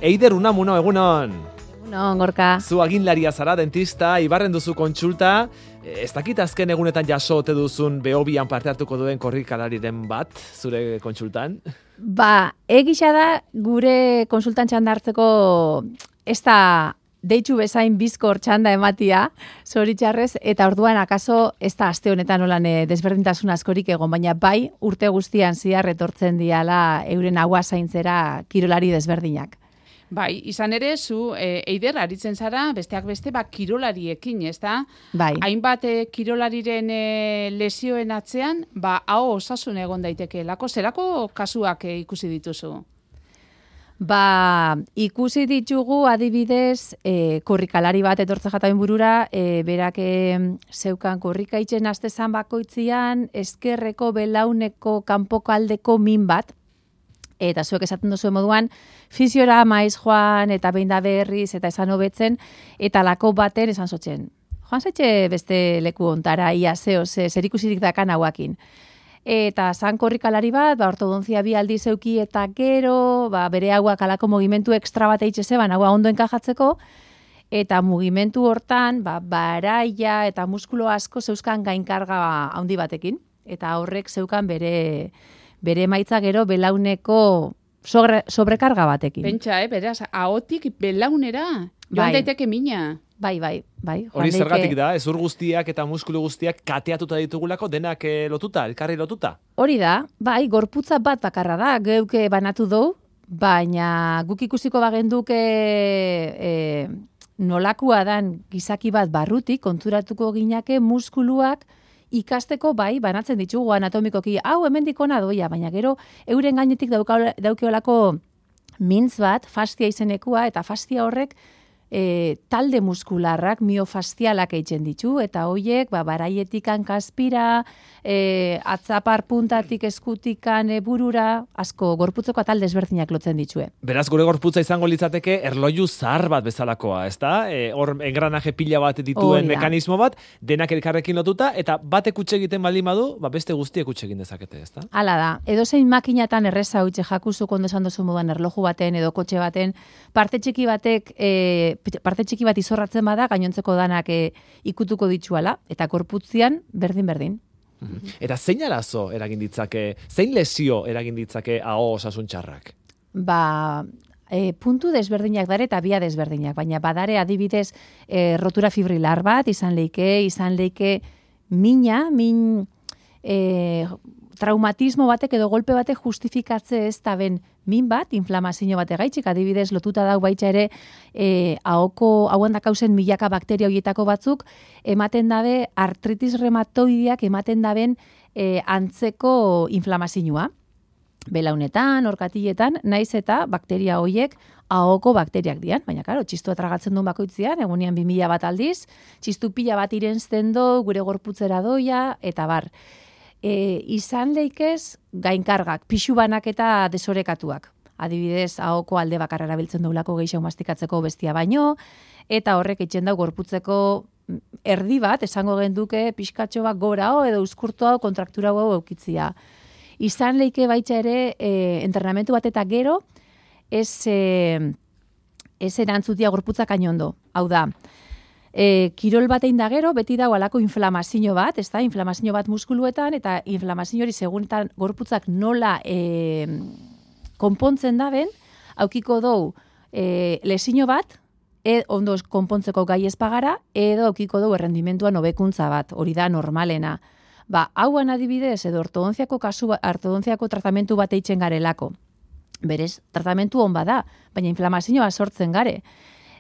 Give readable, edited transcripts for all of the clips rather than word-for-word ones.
Eider Unamuno, egunon. Egunon, Gorka. Zu aginlaria zara, dentista, Ibarren duzu kontsulta. Ez dakit azken egunetan jaso ote duzun Behobian parte hartuko duen korrikalariren bat, zure kontsultan? Egisa da gure konsultan txanda hartzeko ez da deitzu bezain bizkor txanda ematia, zoritxarrez, eta orduan akaso ez da aste honetan olan desberdintasun askorik egon, baina bai urte guztian zihar etortzen diala euren agua zaintzera kirolari desberdinak. Bai, izan ere, zu Eider aritzen zara, besteak beste, kirolariekin, ez da? Bai. Hainbat kirolariren lesioen atzean, hau osasun egon daiteke. Zerako kasuak ikusi dituzu? Ikusi ditugu adibidez, korrikalari bat etortza jataben burura, berak zeukan korrikaitzen astezan bakoitzian, ezkerreko belauneko kanpoko aldeko min bat, eta zuek esaten duzu moduan, fisiora maiz joan, eta behin da berriz, eta esan hobetzen, eta lako baten esan zotzen. Joan zaitxe beste leku ontara, ia zer ikusirik dakan hauakin. Eta zan korrikalari bat, ortodontzia bi aldi zeuki eta gero, bere hauak alako mugimentu ekstra bat eitxe zeban, haua ondo enkajatzeko, eta mugimentu hortan, baraia eta muskulo asko zeuzkan gainkarga handi batekin, eta horrek zeukan bere emaitza gero belauneko sobrekarga batekin. Pentsa, beraz, ahotik belaunera, joan daiteke mina. Bai. Hori zergatik da, ezur guztiak eta muskulu guztiak kateatuta ditugulako, denak lotuta, elkarri lotuta? Hori da, gorputza bat bakarra da, geuke banatu dugu, baina guk ikusiko bagenduke nolakua dan gizaki bat barrutik, konturatuko ginake muskuluak ikasteko banatzen ditugu anatomikoki, hau hemendik ona doia, baina gero euren gainetik daukeolako mintz bat, fastia izenekua, eta fastia horrek talde muskularrak, miofaszialak eitzen ditu, eta hoiek baraietik kaspira, atzapar puntatik eskutikan burura, asko gorputzeko talde ezberdinak lotzen ditue. Beraz, gure gorputza izango litzateke erloju zahar bat bezalakoa, ez da? Hor engranaje pila bat dituen mekanismo bat, denak elkarrekin lotuta, eta batek utxe egiten baldin badu, beste guztiek utxe egin dezakete, ez da? Hala da, edozein makinatan erreza utxe jakuzuk ondo esan duzu moduan erloju baten edo kotxe baten, parte txiki bat izorratzen bada, gainontzeko danak ikutuko dituala, eta gorputzian berdin. Eta zein arazo eragin ditzake, zein lesio eragin ditzake aho osasun txarrak? Puntu desberdinak dare eta bia desberdinak, baina badare adibidez rotura fibrilar bat, izan leike min traumatismo batek edo golpe batek justifikatze ez da ben min bat, inflamazio bat egaitxik, adibidez lotuta dau baitza ere hauan dakauzen milaka bakteria horietako batzuk, ematen dabe artritis reumatoideak ematen daben antzeko inflamazioa. Belaunetan, orkatiletan, naiz eta bakteria horiek ahoko bakteriak dian, baina karo, txistua tragatzen duen bakoitzean, egunean 2000 bat aldiz, txistu pila bat irensten do, gure gorputzera doia, eta bar. Izan leikez gainkargak, pixu banak eta desorekatuak. Adibidez, ahoko alde bakarra erabiltzen duelako gehiago mastikatzeko bestia baino, eta horrek eitzen dau gorputzeko erdi bat, esango genduke pixkatxo bat gorao edo uzkurtu hau kontraktura hau eukitzia. Izan leike baitza ere entrenamentu bat eta gero ez erantzutia gorputzak ainondo. Hau da, kirol batein da gero, beti dago alako inflamazio bat, ez da, inflamazio bat muskuluetan, eta inflamazio hori segunetan gorputzak nola konpontzen daben, aukiko dou lesio bat, ondo konpontzeko gai espagara, edo aukiko dou errendimentuan hobekuntza bat, hori da normalena. Hauan adibidez, edo ortodonziako tratamentu bat eitzen garelako. Berez, tratamentu hon bada, baina inflamazioa sortzen gare.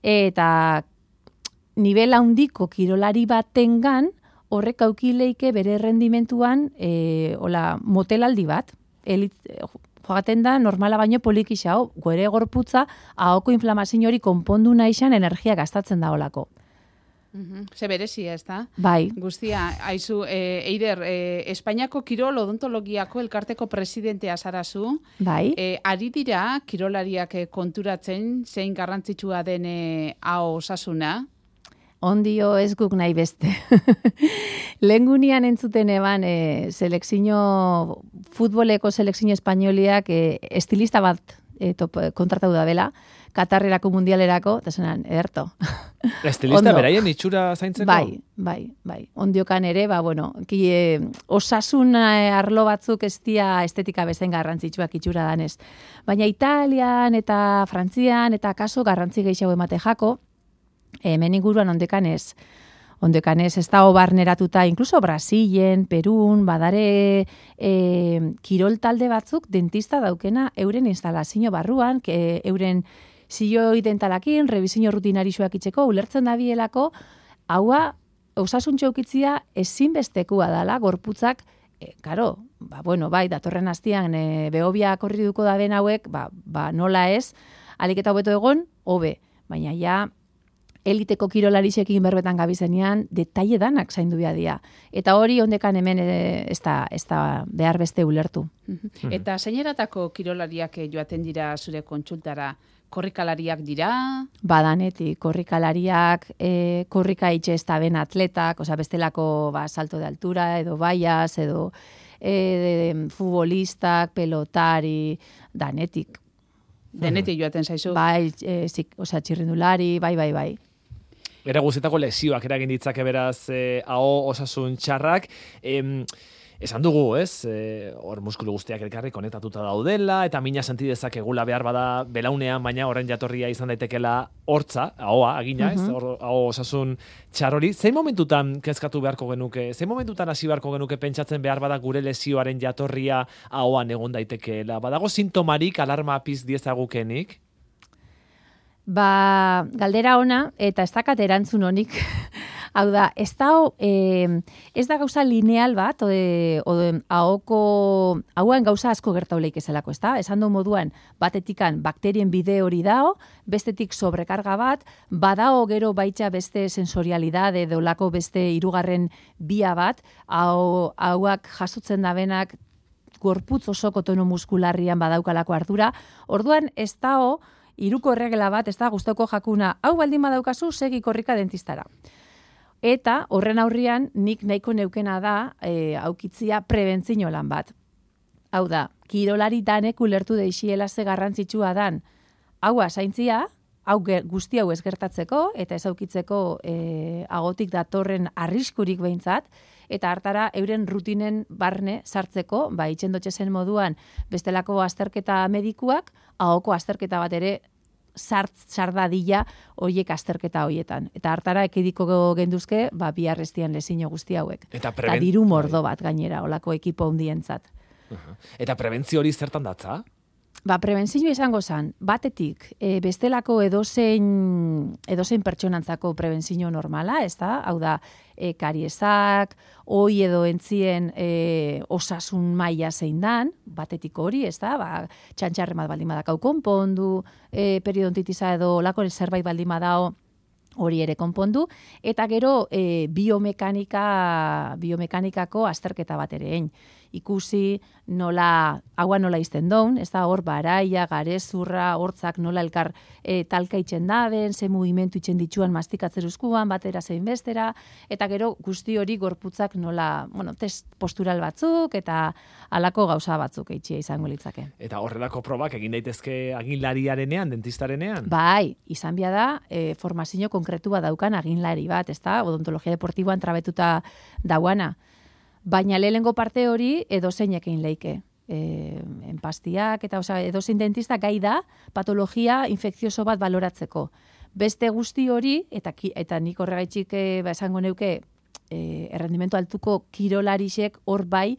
Eta nivel handiko kirolari batengan horrek aukileike bere errendimentuan motelaldi bat. Jogaten da normala baino polikixao, gore gorputza ahoko inflamazio hori konpondu naixan energia gastatzen da olako. Ze berezia, ez da? Bai. Guztia, haizu, Eider, Espainiako kirol odontologiako elkarteko presidentea zarazu. Bai. Ari dira kirolariak konturatzen zein garrantzitsua den hau osasuna? Ondio ez guk nahi beste. Lehengunian entzuten eban futboleko selekzio espainoliak estilista bat kontratatu da bela, Katarrerako mundialerako, eta zenan, ederto. Estilista beraien itxura zaintzeko? Bai. Ondiokan ere, osasun arlo batzuk ez dia estetika bezen garrantzitsuak itxura danez. Baina Italian eta Frantzian eta kaso garrantzi gehiago emate jako, hemen inguruan ondekanez ez da barneratuta, inkluso Brasilen, Perun, badare kirol talde batzuk dentista daukena euren instalazio barruan, euren ziloi dentalakin, revisio rutinarixoak itzeko, ulertzen dabielako, haua osasuntxo eukitzia ezinbestekua dala, gorputzak, bai, datorren hastian, behobia korri duko da ben hauek, nola ez, aliketa hobeto egon, hobe, baina ja, eliteko kirolarisekin berbetan gabizenean, detaile danak zaindu dia. Eta hori ondekan hemen ez da behar beste ulertu. Eta zeineratako kirolariak joaten dira zure kontsultara? Korrikalariak dira? Badanetik, korrikalariak, korrika itxe ez da ben atletak, bestelako salto de altura, edo baias, edo futbolistak, pelotari, danetik. Denetik joaten zaizu? Bai, txirrindulari, bai. Era guztietako lesioak eragin ditzake beraz aho osasun txarrak. Esan dugu, ez? Hor muskulu guztiak elkarri konektatuta daudela, eta mina senti dezakegula behar bada belaunean, baina horren jatorria izan daitekela hortza, ahoa, agina, ez? Aho osasun txarrori. Zein momentutan kezkatu beharko genuke? Zein momentutan hasi beharko genuke pentsatzen behar bada gure lesioaren jatorria ahoan egon daitekeela? Badago sintomarik alarma apiz diezagukenik? Galdera ona, eta ez dakat erantzun honik. Hau da, ez da gauza lineal bat, hauan gauza asko gertauleik ezelako, ez da? Esan du moduan, batetikan bakterien bide hori dao, bestetik sobrekarga bat, badao gero baitza beste sensorialidade, dolako beste hirugarren bia bat, hauak jasotzen dabenak gorputz osoko tono muskularrian badaukalako ardura. Orduan, ez dao, hiruko erregela bat, ez da, gustoko jakuna, hau baldin badaukazu, segi korrika dentistara. Eta horren aurrian nik nahiko neukena da aukitzia prebentzio lan bat. Hau da, kirolari danek ulertu deixiela ze garrantzitsua dan. Haua zaintzia, guzti hau ez gertatzeko eta ez aukitzeko agotik datorren arriskurik behintzat, eta hartara euren rutinen barne sartzeko, itxendotxe zen moduan bestelako azterketa medikuak, ahoko azterketa bat ere sardadila horiek azterketa horietan. Eta hartara ekidiko genduzke, biharrestian lezino guzti hauek. Eta diru mordo bat gainera, olako ekipo hundientzat. Eta prebentzio hori zertan datza? Prebentzio izango zen, batetik, bestelako edozein pertsonantzako prebentzio normala, ez da? Hau da, kariesak, oi edo entzien osasun maila zein dan, batetik hori, ez da? Txantxarre bat baldin badakau konpondu, periodontitisa edo lako zerbait baldin badao hori ere konpondu, eta gero biomekanikako azterketa bat ere egin. Ikusi haua nola izten daun, ez da hor baraia, garezurra, hortzak nola elkar talka itxen daben, ze mugimendu itxen ditxuan mastikatzeruzkuan, batera zein bestera, eta gero guzti hori gorputzak nola, test postural batzuk, eta halako gauza batzuk eitxia izango litzake. Eta horrelako probak egin daitezke aginlariarenean, dentistarenean? Bai, izan bia da, formazio konkretua daukan aginlari bat, ez da, odontologia deportiboan trabetuta dauana. Baina lehengo parte hori edozeinek egin leike. Enpastiak, eta edozein dentista gai da patologia infekzioso bat baloratzeko. Beste guzti hori, eta nik horregaitxik esango neuke, errendimentu altuko kirolarisek hor bai,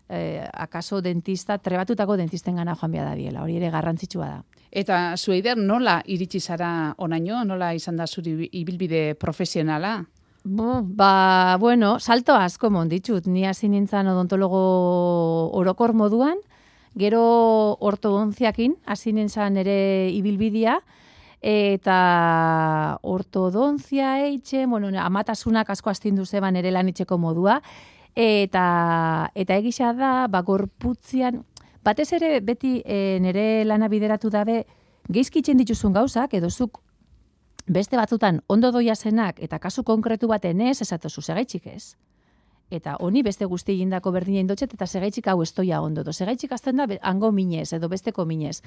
akaso dentista, trebatutako dentisten gana joan bia da biela, hori ere garrantzitsua da. Eta Zueider, nola iritsi zara onaino, nola izan da zuri ibilbide profesionala? Salto asko monditxut. Ni hasi nintzen odontologo orokor moduan, gero ortodontziakin hasi nintzen ere ibilbidea, eta ortodontzia amatasunak asko astindu zeban ere lan itxeko modua, eta egisa da, gorputzian, batez ere beti nere lana bideratu dabe, geizkitzen dituzun gauzak, edo zuk beste batzutan ondo doia zenak eta kasu konkretu baten ez esatozu segaitxik ez. eta honi beste guzti egindako berdina indotxet, eta segaitxik hau estoia ondo. Segaitxik azten da hango minez, edo besteko minez.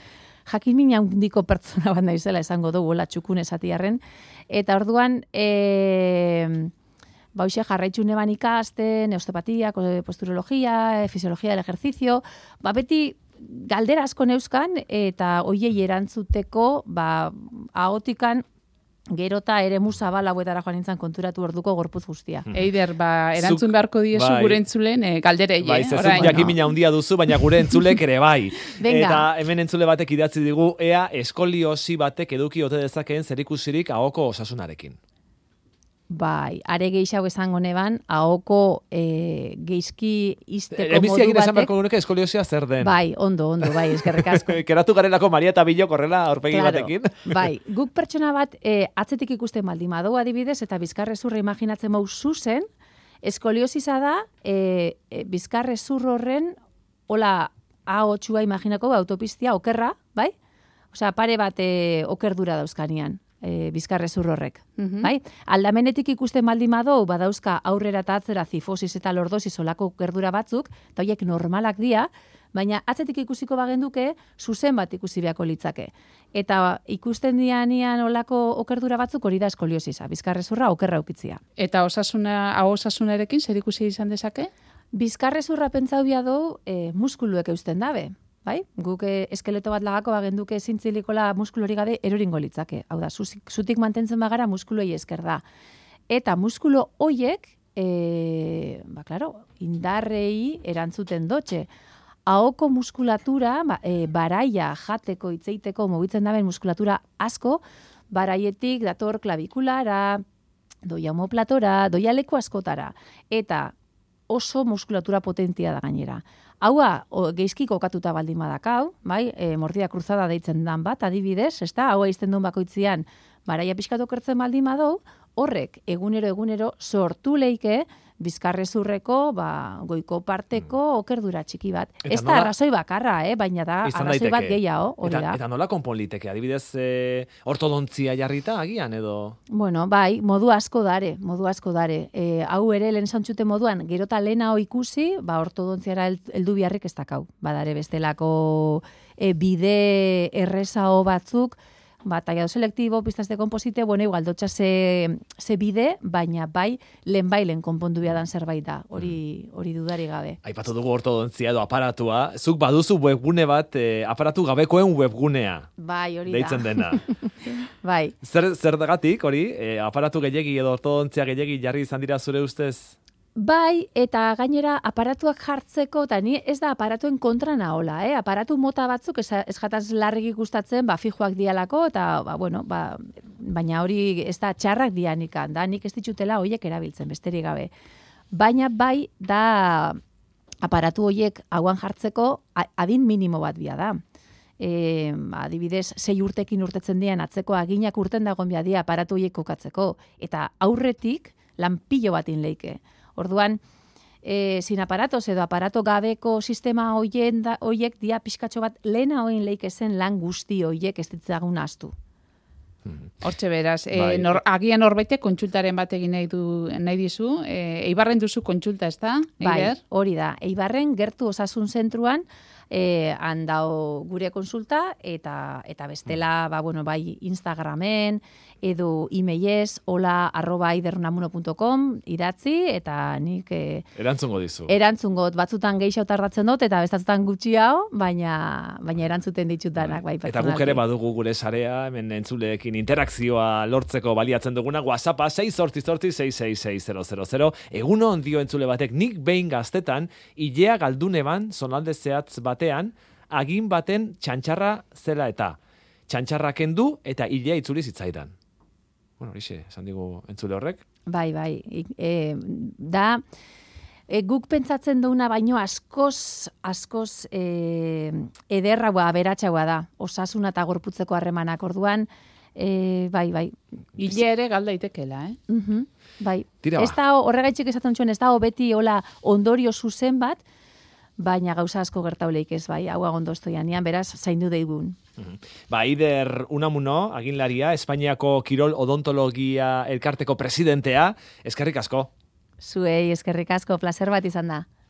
Jakin mina handiko pertsona bat naizela esango dugu, txukun esatiarren. Eta orduan, hoxe jarraitzu neban ikasten, osteopatia, posturologia, fisiologia del ejercicio, beti galdera asko neuzkan, eta hoiei erantzuteko, ahotikan, gerota ere musabal hauetara joan nintzen konturatu orduko gorpuz guztia. Eider, erantzun beharko diezu gure entzulen galderei. Bai, zezuk jakimina handia duzu, baina gure entzulek ere bai. Venga. Eta hemen entzule batek idatzi digu, ea eskoliosi batek eduki ote dezakeen zerikusirik ahoko osasunarekin. Bai, are gehiago esango neban, ahoko geizki izteko modu batek... Emiziak esan beharko gunuke eskoliosia zer den. Bai, ondo, bai, eskerrik asko. Keratu garelako Maria eta Bilo korrela aurpegi batekin. Bai, guk pertsona bat atzetik ikusten baldin badu adibidez, eta bizkarrezurra imaginatzen mau zuzen, eskoliosisa da bizkarrezur horren, hola, A8a imaginako autopistia okerra, bai? Osea, pare bat okerdura dauzkanian. Bizkarrezur horrek. Bai? Aldamenetik ikusten baldin badou, badauzka aurrera eta atzera zifosis eta lordosis olako gerdura batzuk, eta horiek normalak dira, baina atzetik ikusiko bagenduke, zuzen bat ikusi beharko litzake. Eta ikusten dianian olako okerdura batzuk hori da eskoliosisa, bizkarrezurra okerra ukitzia. Eta osasunarekin zer ikusi izan dezake? Bizkarrezurra pentsau biadu muskuluek eusten dabe. Bai? Guk eskeleto bat lagako bagenduke zintzilikola muskulori gabe eroringo litzake. Hau da, zutik mantentzen bagara muskuloei esker da. Eta muskulo hoiek, indarrei erantzuten dotxe. Ahoko muskulatura, baraia jateko, itzeiteko, mugitzen daben muskulatura asko, baraietik dator klabikulara, doia omoplatora, doia leku askotara. Eta oso muskulatura potentia da gainera. Haua, geizki kokatuta baldin badakau, bai, mordida kruzada deitzen dan bat, adibidez, haua izten duen bakoitzian, baraia pixkatu kertzen baldin badou, horrek egunero sortu leike, bizkarrezurreko, goiko parteko okerdura txiki bat. Ez da arrazoi bakarra, baina da arrazoi bat gehiago, hori da. Eta nola konpon liteke, adibidez ortodontzia jarrita agian edo? Bueno, bai, modu asko dare. Hau ere lehen zantxute moduan, gerota lehenao ikusi, ortodontziara heldu biharrik ez dakau. Badare bestelako bide errezao batzuk, tallado selektibo, pistas de komposite, igual dotxa ze bide, baina lehen konpondu biadan zerbait da, hori dudari gabe. Aipatu dugu ortodontzia edo aparatua, zuk baduzu webgune bat, aparatu gabekoen webgunea. Bai, hori da. Deitzen dena. Bai. Zer dagatik, hori, aparatu gehiegi edo ortodontzia gehiegi jarri izan dira zure ustez? Bai, eta gainera aparatuak jartzeko, eta ni ez da aparatuen kontra nahola, aparatu mota batzuk ez jataz larrik ikustatzen, fijoak dialako, eta, baina hori ez da txarrak dianikan, da nik ez ditutela horiek erabiltzen, besterik gabe. Baina bai, da aparatu horiek hauan jartzeko adin minimo bat bia da. Adibidez, 6 urtekin urtetzen dian atzeko aginak urten dagoen bia dia aparatu horiek kokatzeko, eta aurretik lanpillo batin leike. Orduan, sin aparatos edo aparato gabeko sistema hoiek dia pixkatxo bat lehena hoin leikezen lan guzti hoiek ez ditzagun ahaztu. Hortxe beraz, agian horbaitek kontsultaren bat egin nahi dizu, Eibarren duzu kontsulta, ez da? Bai, hori da. Eibarren gertu osasun zentruan handao gure konsulta eta bestela, bai Instagramen edo emailez hola@eidernamuno.com idatzi eta nik erantzungo dizu. Erantzungot batzutan gehiago tardatzen dut eta bestatzutan gutxiago, baina erantzuten ditutanak bai pertsonalki. Eta guk ere badugu gure sarea, hemen entzuleekin interakzioa lortzeko baliatzen duguna, WhatsAppa 688-666-000. Egunon dio entzule batek, nik behin gaztetan, ilea galduneban, zonalde zehatz batean, agin baten txantxarra zela eta. Txantxarra kendu eta ilea itzuli zitzaidan. Bueno, horixe, esan digu entzule horrek. Bai, guk pentsatzen duguna baino askoz ederragoa, aberatsagoa da. Osasuna eta gorputzeko harremanak orduan, bai. Ile ere galdaitekela, Bai. Ez da horregaitxik esaten zuen, ez da beti hola ondorio zuzen bat, baina gauza asko gertauleik ez, bai, hau agondo estoianian, beraz, zaindu deigun. Eider Unamuno, aginlaria, Espainiako Kirol Odontologia Elkarteko presidentea, eskerrik asko. Zuei eskerrik asko, placer bat izan da.